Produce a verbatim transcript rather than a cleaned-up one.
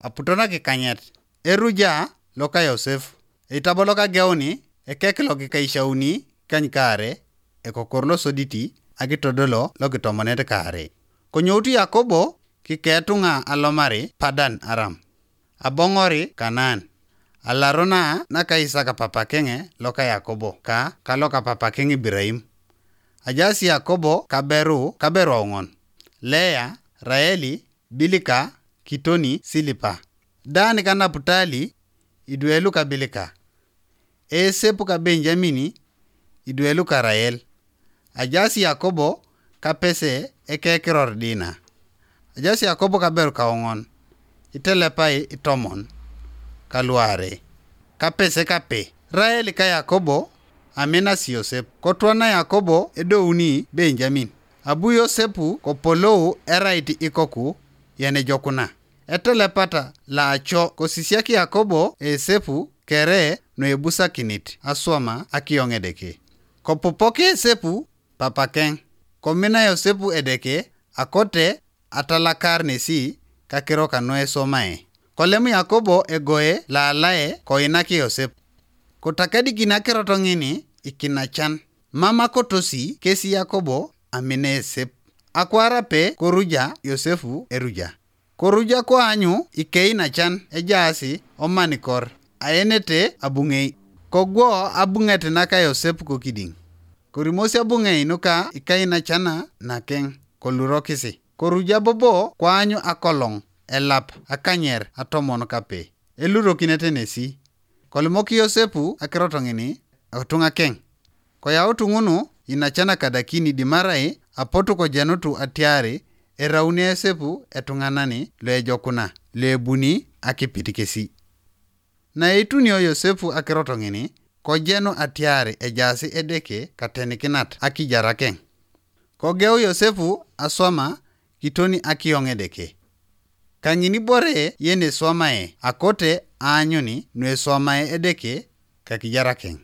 aputo nakikanyet. Eruja loka Yosef, eitabo loka geuni, ekek lokikaishauni kany kaare, ekokor losoditi, akitodolo lokitomonet kaare. Konyoutu Yakobo kiketunga alomari Padan Aram, abongori Kanaan, alarona naka Isaka papakenge loka Yakobo ka kaloka papakeng Ibiraim. Ajaas Yakobo kaberu kaberu aong'on: Lea, Raeli, Bilika, Kitoni, Silipa. Dan ka Naputali, idwe luka Bilika. Esep ka Benjamini, idwe luka Rael. Ajaas Yakobo kapese ekekiror Dina. Ajaas Yakobo kaberu kaong'on, itelepai itomon kaluare, kapese kape. Rael ka Yakobo aminas Yosep. Kotwana Yakobo edouni Benjamin. Abu Yosepu kopolou erait ikoku yenejokuna. Etelepata laaco kosisiak Yakobo Esepu kere nuebusakinit aswama akiyong Edeke. Kopupok Esepu papakeng. Komina Yosepu Edeke akote atalakar nesi kakiro kanuesomae. Kolem Yakobo egoe laalae koinak Yosep. Kotakedikin akirot ngini ikinachan. Mama kotosi kesi Yakobo amina Esep. Akwar ape koruja Yosefu eruja. Koruja koanyu ikeinachan ejaasi omanikor aenete abung'ei. Kogwo abung'et naka Yosep kokiding. Korimosi abung'ei nuka ikainachana nakeng kolurokisi. Koruja bobo koanyu akolong elap akanyer atomon kape elurokinete nesi. Kolimok Yosepu akirot ngini otunga keng. Koyautu ngunu inacana kadakini dimarai apotu kojenutu atiari erauni Yosepu etunganani loejokuna loebuni akipit kesi. Naitunio Yosepu akirot ngini kojenu atiari ejaasi Edeke katenikinat akijara keng. Kogeu Yosepu aswama kitoni akiyong Edeke. Kangini bore yeneswamae akote aanyuni nueswamae Edeke kakijara keng.